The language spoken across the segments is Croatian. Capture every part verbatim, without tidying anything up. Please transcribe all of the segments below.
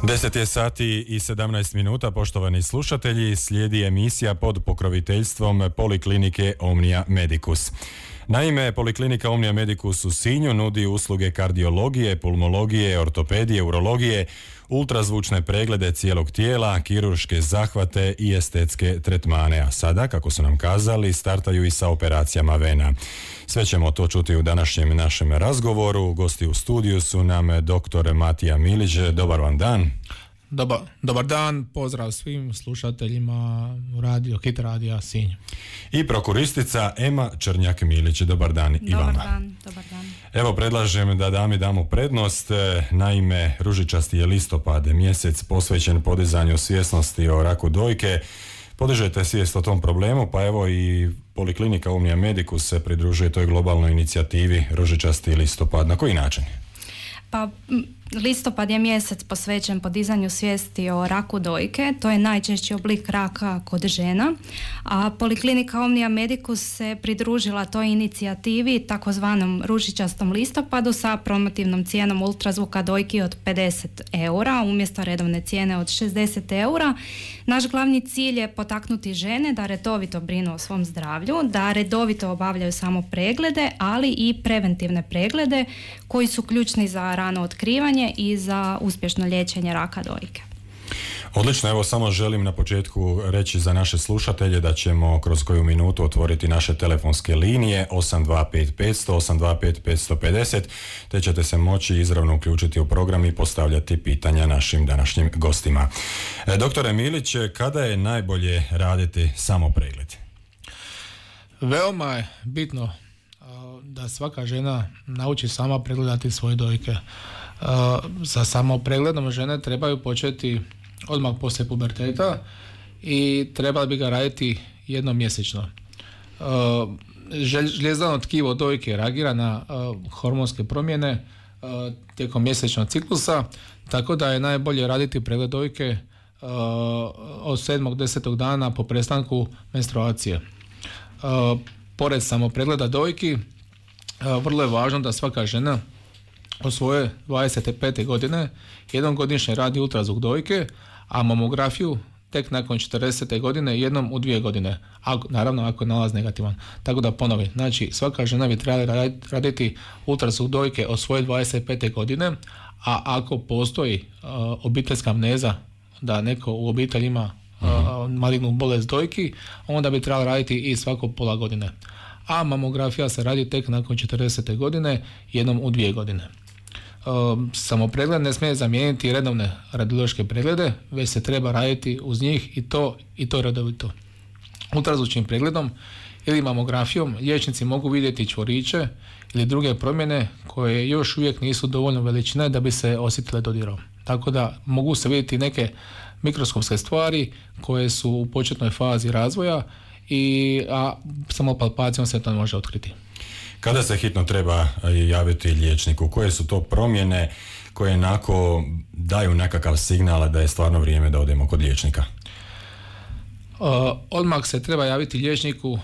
deset je sati i sedamnaest minuta, poštovani slušatelji, slijedi emisija pod pokroviteljstvom Poliklinike Omnia Medicus. Naime, Poliklinika Omnia Medicus u Sinju nudi usluge kardiologije, pulmologije, ortopedije, urologije, ultrazvučne preglede cijelog tijela, kirurške zahvate i estetske tretmane, a sada, kako su nam kazali, startaju i sa operacijama vena. Sve ćemo to čuti u današnjem našem razgovoru. Gosti u studiju su nam doktor Matija Milić. Dobar vam dan. Dobar, dobar dan, pozdrav svim slušateljima radio, Hit radija Sinj. I prokuristica Ema Črnjak-Milić. Dobar dan i dobar vama. Dan, dobar dan. Evo, predlažem da dami damo prednost. Naime, ružičasti je listopad, mjesec posvećen podizanju svjesnosti o raku dojke. Podižete svijest o tom problemu, pa evo i Poliklinika Omnia Medicus se pridružuje toj globalnoj inicijativi ružičasti listopad. Na koji način? Pa listopad je mjesec posvećen podizanju svijesti o raku dojke. To je najčešći oblik raka kod žena, a Poliklinika Omnia Medicus se pridružila toj inicijativi takozvanom ružičastom listopadu sa promotivnom cijenom ultrazvuka dojki od pedeset eura umjesto redovne cijene od šezdeset eura. Naš glavni cilj je potaknuti žene da redovito brinu o svom zdravlju, da redovito obavljaju samo preglede, ali i preventivne preglede koji su ključni za rano otkrivanje i za uspješno liječenje raka dojke. Odlično, evo samo želim na početku reći za naše slušatelje da ćemo kroz koju minutu otvoriti naše telefonske linije osam dva pet pet zero zero, osam dva pet pet pet zero, te ćete se moći izravno uključiti u program i postavljati pitanja našim današnjim gostima. E, doktore Milić, kada je najbolje raditi samo pregled? Veoma je bitno da svaka žena nauči sama pregledati svoje dojke. Sa samo pregledom žene trebaju početi odmah poslije puberteta i trebali bi ga raditi jednom mjesečno. Žljezdano tkivo dojke reagira na hormonske promjene tijekom mjesečnog ciklusa, tako da je najbolje raditi pregled dojke od sedmog do desetog dana po prestanku menstruacije. Pored samo pregleda dojki, vrlo je važno da svaka žena od svoje dvadeset pete godine jednom godišnje radi ultrazvuk dojke, a mamografiju tek nakon četrdesete godine jednom u dvije godine, ako, naravno ako je nalaz negativan. Tako da ponovim, znači svaka žena bi trebala raditi ultrazvuk dojke od svoje dvadeset pete godine, a ako postoji uh, obiteljska amneza da neko u obitelji ima uh, malignu bolest dojki, onda bi trebala raditi i svako pola godine. A mamografija se radi tek nakon četrdesete godine jednom u dvije godine. Samo pregled ne smije zamijeniti redovne radiološke preglede, već se treba raditi uz njih i to i to redovito. Ultrazvučnim pregledom ili mamografijom liječnici mogu vidjeti čvoriće ili druge promjene koje još uvijek nisu dovoljno veličine da bi se osjetile dodirom. Tako da mogu se vidjeti neke mikroskopske stvari koje su u početnoj fazi razvoja, i, a samo palpacijom se to može otkriti. Kada se hitno treba javiti liječniku? Koje su to promjene koje onako daju nekakav signal da je stvarno vrijeme da odemo kod liječnika? Uh, odmah se treba javiti liječniku uh,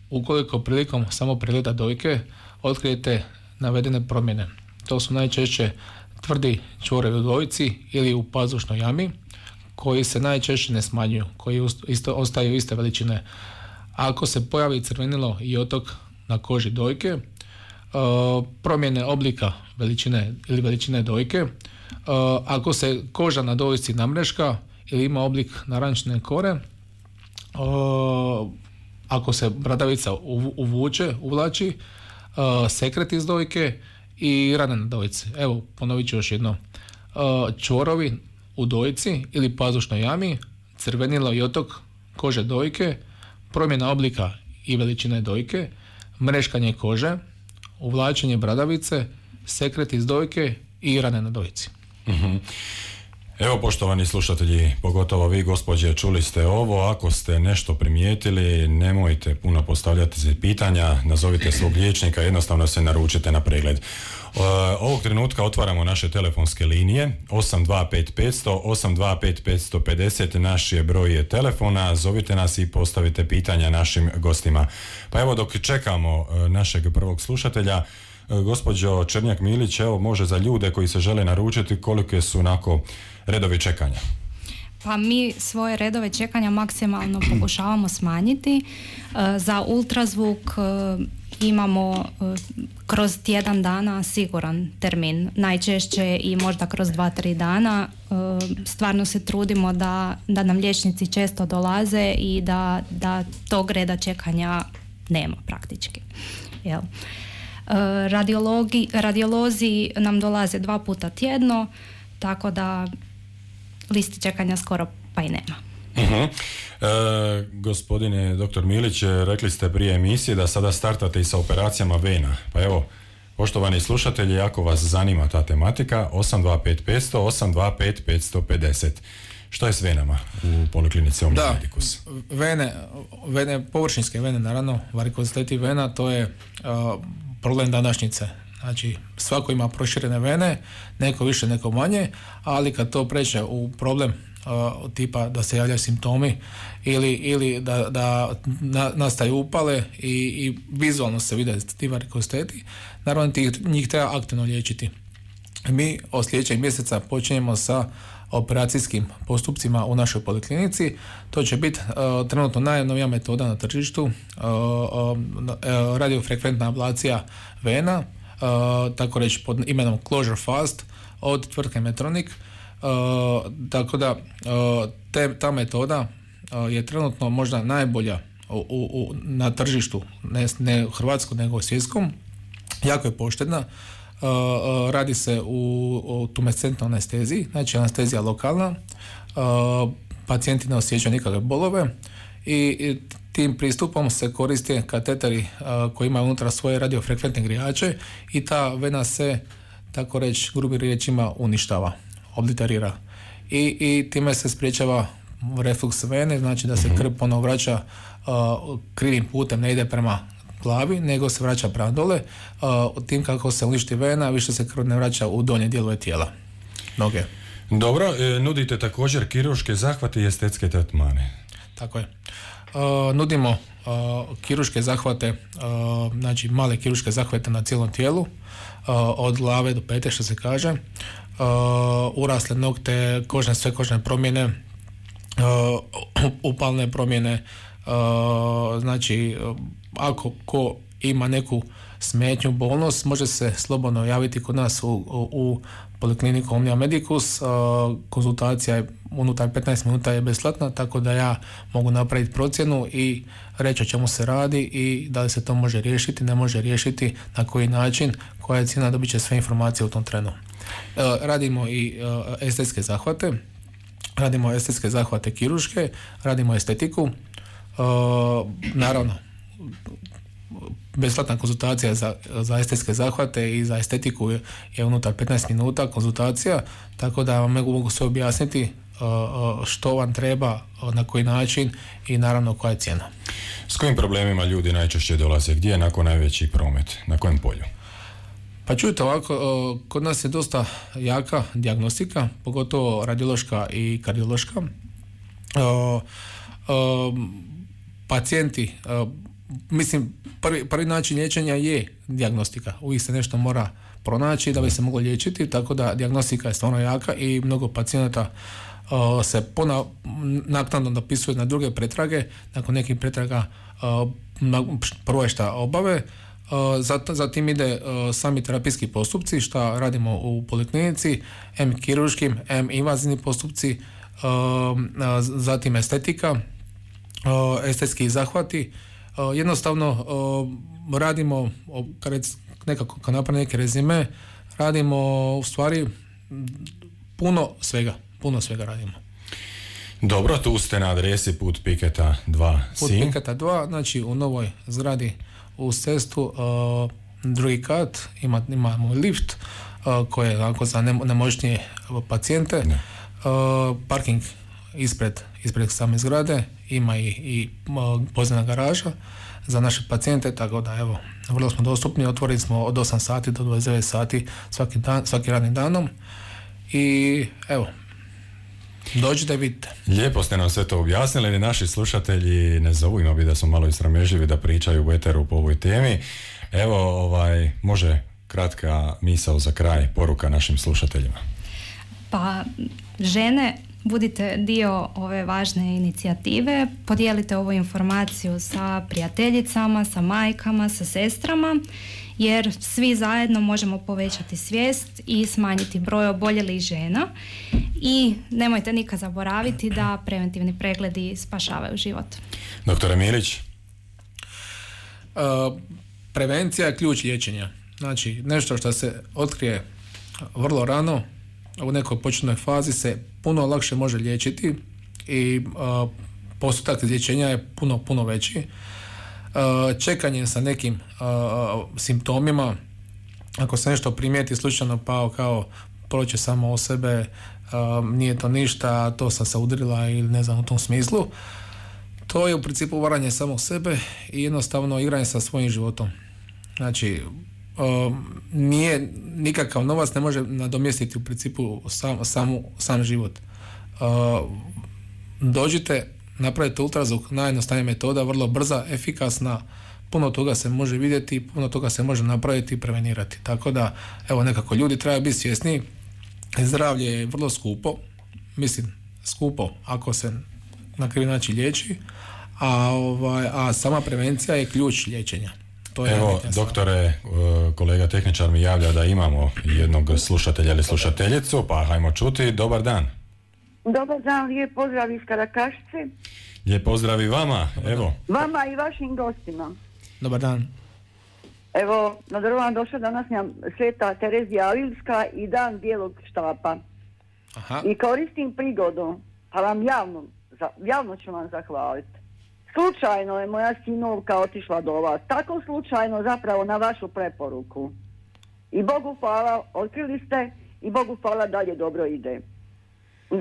ukoliko prilikom samo pregleda dojke otkrijete navedene promjene. To su najčešće tvrdi čvorovi u dojci ili u pazušnoj jami koji se najčešće ne smanjuju, koji isto, ostaju iste veličine. Ako se pojavi crvenilo i otok na koži dojke, uh, promjene oblika veličine ili veličine dojke, uh, ako se koža na dojci namreška ili ima oblik narančne kore, uh, ako se bradavica uvuče, uvlači, uh, sekret iz dojke i rane na dojci. Evo, ponovit ću još jedno. Uh, čvorovi u dojci ili pazušnoj jami, crvenilo i otok kože dojke, promjena oblika i veličine dojke, mreškanje kože, uvlačenje bradavice, sekret iz dojke i rane na dojci. Mm-hmm. Evo, poštovani slušatelji, pogotovo vi gospođe, čuli ste ovo. Ako ste nešto primijetili, nemojte puno postavljati pitanja, nazovite svog liječnika, jednostavno se naručite na pregled. Ovog trenutka otvaramo naše telefonske linije osam dva pet pet zero zero, osam dva pet pet pet zero, naš je broj telefona, zovite nas i postavite pitanja našim gostima. Pa evo, dok čekamo našeg prvog slušatelja, gospođo Černjak-Milić, evo može za ljude koji se žele naručiti, kolike su onako redovi čekanja? Pa mi svoje redove čekanja maksimalno pokušavamo smanjiti. Za ultrazvuk imamo kroz tjedan dana siguran termin, najčešće i možda kroz dva, tri dana. Stvarno se trudimo da, da nam liječnici često dolaze i da, da tog reda čekanja nema praktički. Jel? Radiologi, radiolozi nam dolaze dva puta tjedno, tako da listi čekanja skoro pa i nema. Uh-huh. E, gospodine doktor Milić, rekli ste prije emisije da sada startate i sa operacijama vena. Pa evo, poštovani slušatelji, ako vas zanima ta tematika, osam dva pet pet sto osam dva pet pet pet sto. Što je s venama u Poliklinici Omnia Medicus? Da, vene, vene, površinske vene, naravno, varikoziteti vena, to je uh, problem današnjice. Znači, svako ima proširene vene, neko više, neko manje, ali kad to pređe u problem uh, tipa da se javljaju simptomi ili, ili da, da na, nastaju upale i, i vizualno se vide ti varikoziteti, naravno tih, njih treba aktivno liječiti. Mi od sljedećeg mjeseca počinjemo sa operacijskim postupcima u našoj poliklinici. To će biti uh, trenutno najnovija metoda na tržištu, uh, uh, radiofrekventna ablacija vena, uh, tako reći pod imenom Closure Fast od tvrtke Medtronic. Uh, tako da uh, te, ta metoda uh, je trenutno možda najbolja u, u, na tržištu, ne, ne u Hrvatskom nego u svjetskom. Jako je poštedna. Uh, uh, radi se u, u tumescentnoj anesteziji, znači anestezija lokalna, uh, pacijenti ne osjećaju nikakve bolove i, i tim pristupom se koriste kateteri uh, koji imaju unutra svoje radiofrekventne grijače i ta vena se, tako reći, grubim riječima uništava, obliterira i, i time se spriječava refluks vene, znači da se krv ponovo vraća uh, krivim putem, ne ide prema glavi, nego se vraća prema dole. Uh, tim kako se uništi vena, više se krv ne vraća u donje dijelove tijela, noge. Dobro, e, nudite također kirurške zahvate i estetske tretmane. Tako je. Uh, nudimo uh, kirurške zahvate, uh, znači male kirurške zahvate na cijelom tijelu, uh, od glave do pete, što se kaže, uh, urasle nokte, kožne, sve kožne promjene, uh, upalne promjene, uh, znači uh, ako ko ima neku smetnju, bolnost, može se slobodno javiti kod nas u, u, u Polikliniku Omnia Medicus. Uh, konzultacija je unutar petnaest minuta je besplatna, tako da ja mogu napraviti procjenu i reći o čemu se radi i da li se to može riješiti, ne može riješiti, na koji način, koja je cijena, dobit će sve informacije u tom trenu. Uh, radimo i uh, estetske zahvate, radimo estetske zahvate kirurške, radimo estetiku, uh, naravno besplatna konzultacija za, za estetske zahvate i za estetiku je, je unutar petnaest minuta konzultacija, tako da vam mogu, mogu sve objasniti uh, što vam treba, na koji način i naravno koja je cijena. S kojim problemima ljudi najčešće dolaze? Gdje je nakon najveći promet? Na kojem polju? Pa čujte ovako, uh, kod nas je dosta jaka dijagnostika, pogotovo radiološka i kardiološka. Uh, uh, pacijenti uh, Mislim, prvi, prvi način liječenja je dijagnostika. Uvijek se nešto mora pronaći da bi se moglo liječiti, tako da dijagnostika je stvarno jaka i mnogo pacijenata uh, se pona, naknadno dopisuje na druge pretrage. Nakon nekih pretraga uh, prvo je šta obave, uh, zat, zatim ide uh, sami terapijski postupci, šta radimo u poliklinici, em kirurškim, em invazivni postupci, uh, uh, zatim estetika, uh, estetski zahvati. Uh, jednostavno uh, radimo, uh, kad nekako kad napravim neke rezime, radimo u stvari puno svega, puno svega radimo. Dobro, tu ste na adresi Put Piketa dva Put Sinj. Piketa dva, znači u novoj zgradi uz cestu, uh, drugi kat, ima, imamo lift uh, koji je onako za nemoćnije pacijente, uh, parking ispred, ispred same zgrade, ima i, i podzemna garaža za naše pacijente, tako da evo, vrlo smo dostupni, otvorili smo od osam sati do dvadeset devet sati svaki dan, svaki radnim danom i evo, dođite, vidite. Lijepo ste nam sve to objasnili, naši slušatelji ne zovu, ima bi da su malo isramežljivi da pričaju u eteru po ovoj temi. Evo, ovaj, može kratka misao za kraj, poruka našim slušateljima. Pa žene, budite dio ove važne inicijative, podijelite ovu informaciju sa prijateljicama, sa majkama, sa sestrama, jer svi zajedno možemo povećati svijest i smanjiti broj oboljelih žena. I nemojte nikad zaboraviti da preventivni pregledi spašavaju život. Doktore Milić? Uh, prevencija je ključ liječenja. Znači, nešto što se otkrije vrlo rano, u nekoj početnoj fazi se puno lakše može liječiti i uh, postotak izlječenja je puno, puno veći. Uh, čekanje sa nekim uh, simptomima, ako se nešto primijeti slučajno pao kao proće samo o sebe, uh, nije to ništa, to sam se udrila ili ne znam u tom smislu, to je u principu varanje samog sebe i jednostavno igranje sa svojim životom. Znači, uh, nije nikakav novac ne može nadomjestiti u principu sam, samu, sam život. Uh, dođite, napravite ultrazvuk, najjednostavnija metoda, vrlo brza, efikasna, puno toga se može vidjeti, puno toga se može napraviti i prevenirati. Tako da, evo, nekako ljudi trebaju biti svjesni, zdravlje je vrlo skupo, mislim, skupo ako se na krivi način liječi, a, ovaj, a sama prevencija je ključ liječenja. To je Evo, doktore, kolega tehničar mi javlja da imamo jednog slušatelja ili slušateljicu, pa hajmo čuti. Dobar dan. Dobar dan, lijep pozdrav iz Karakašice. Lijep pozdrav i vama, evo. Vama i vašim gostima. Dobar dan. Evo, na drvan došla današnja Sveta Terezija Avilska i dan bijelog štapa. Aha. I koristim prigodu, pa vam javno, javno ću vam zahvaliti. Slučajno je moja sinovka otišla do vas, tako slučajno zapravo na vašu preporuku. I Bogu hvala, otkrili ste i Bogu hvala dalje dobro ide.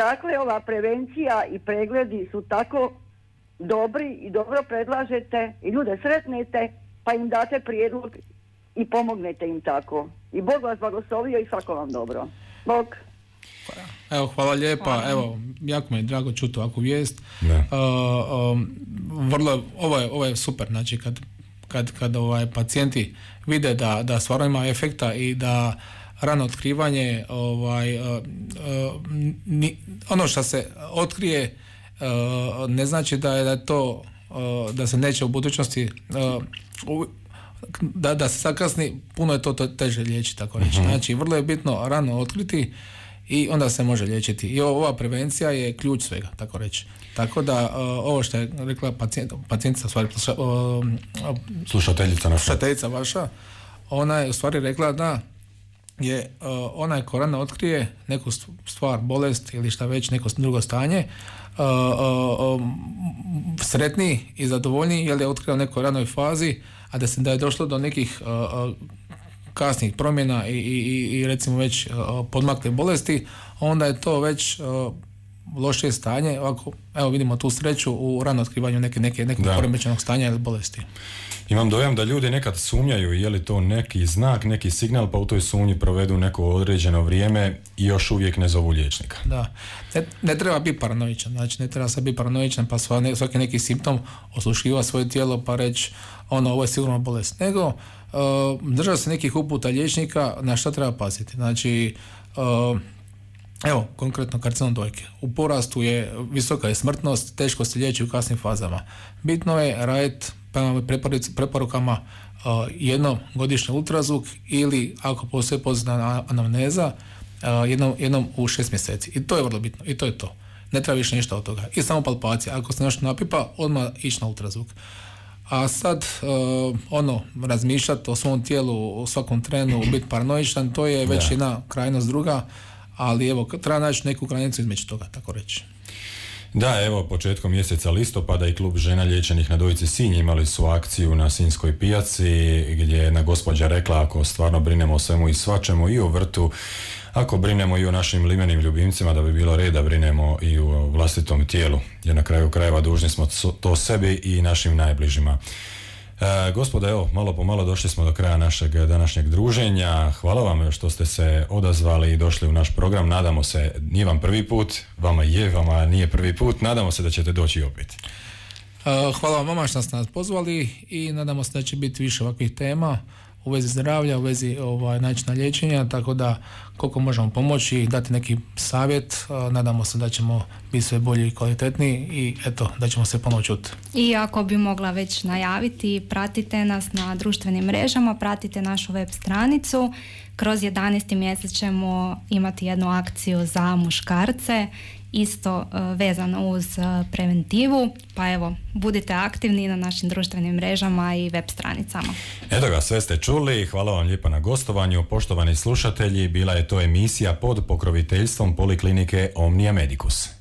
Dakle, ova prevencija i pregledi su tako dobri i dobro predlažete i ljude sretnete, pa im date prijedlog i pomognete im tako. I Bog vas blagoslovio i svako vam dobro. Bog. Evo, hvala lijepa. Hvala. Evo, jako mi je drago čuti ovakvu vijest. Uh, um, vrlo, ovo je, ovo je super, znači kad, kad, kad ovaj, pacijenti vide da, da stvarno ima efekta i da rano otkrivanje, ovaj, uh, uh, ni, ono što se otkrije uh, ne znači da je, da je to uh, da se neće u budućnosti uh, u, da, da se zakasni, puno je to, to teže liječiti, tako reći. Uh-huh. Znači, vrlo je bitno rano otkriti i onda se može liječiti. I ova prevencija je ključ svega, tako reći. Tako da, uh, ovo što je rekla pacijent, pacijentica, stvari, uh, slušateljica naša. Slušateljica vaša, ona je u stvari rekla da je uh, onaj ko rano otkrije neku stvar, bolest ili šta već, neko drugo stanje, uh, uh, um, sretniji i zadovoljniji jer je otkrio u nekoj ranoj fazi, a da se da je došlo do nekih uh, kasnih promjena i, i, i recimo već uh, podmakle bolesti, onda je to već uh, lošije stanje. Ovako, evo vidimo tu sreću u rano otkrivanju neke, neke, nekog poremećenog stanja ili bolesti. Imam dojam da ljudi nekad sumnjaju je li to neki znak, neki signal, pa u toj sumnji provedu neko određeno vrijeme i još uvijek ne zovu liječnika. Da, ne, ne treba biti paranoičan, znači ne treba sad biti paranoičan pa svaki neki simptom osluškiva svoje tijelo pa reći ono, ovo je sigurno bolest, nego uh, država se nekih uputa liječnika na šta treba paziti. Znači, uh, evo, konkretno karcinom dojke. U porastu je, visoka je smrtnost, teško se liječi u kasnim fazama. Bitno je raditi prema preporukama uh, jednom godišnji ultrazvuk ili ako postoji pozitivna anamneza uh, jednom, jednom u šest mjeseci. I to je vrlo bitno. I to je to. Ne treba više ništa od toga. I samo palpacija. Ako se nešto napipa, odmah ići na ultrazvuk. A sad, uh, ono, razmišljati o svom tijelu u svakom trenu, biti paranoičan, to je već da. Jedna krajnost druga, ali evo, treba naći neku granicu između toga, tako reći. Da, evo, početkom mjeseca listopada i klub žena liječenih na Dojici Sinj imali su akciju na Sinjskoj pijaci gdje je jedna gospođa rekla ako stvarno brinemo o svemu i svačemu i o vrtu, ako brinemo i o našim limenim ljubimcima, da bi bilo red da brinemo i o vlastitom tijelu, jer na kraju krajeva dužni smo to sebi i našim najbližima. E, gospodo, evo, malo po malo došli smo do kraja našeg današnjeg druženja. Hvala vam što ste se odazvali i došli u naš program. Nadamo se, nije vam prvi put, vama je, vama nije prvi put, nadamo se da ćete doći opet. Hvala vam vama što ste nas pozvali i nadamo se da će biti više ovakvih tema. u vezi zdravlja, u vezi ovaj, načina liječenja, tako da koliko možemo pomoći, dati neki savjet, nadamo se da ćemo biti sve bolji i kvalitetniji i eto, da ćemo se ponovo čuti. I ako bi mogla već najaviti, pratite nas na društvenim mrežama, pratite našu web stranicu. Kroz jedanaesti mjesec ćemo imati jednu akciju za muškarce, isto uh, vezano uz uh, preventivu, pa evo, budite aktivni na našim društvenim mrežama i web stranicama. Eto ga, sve ste čuli, hvala vam lijepa na gostovanju, poštovani slušatelji, bila je to emisija pod pokroviteljstvom Poliklinike Omnia Medicus.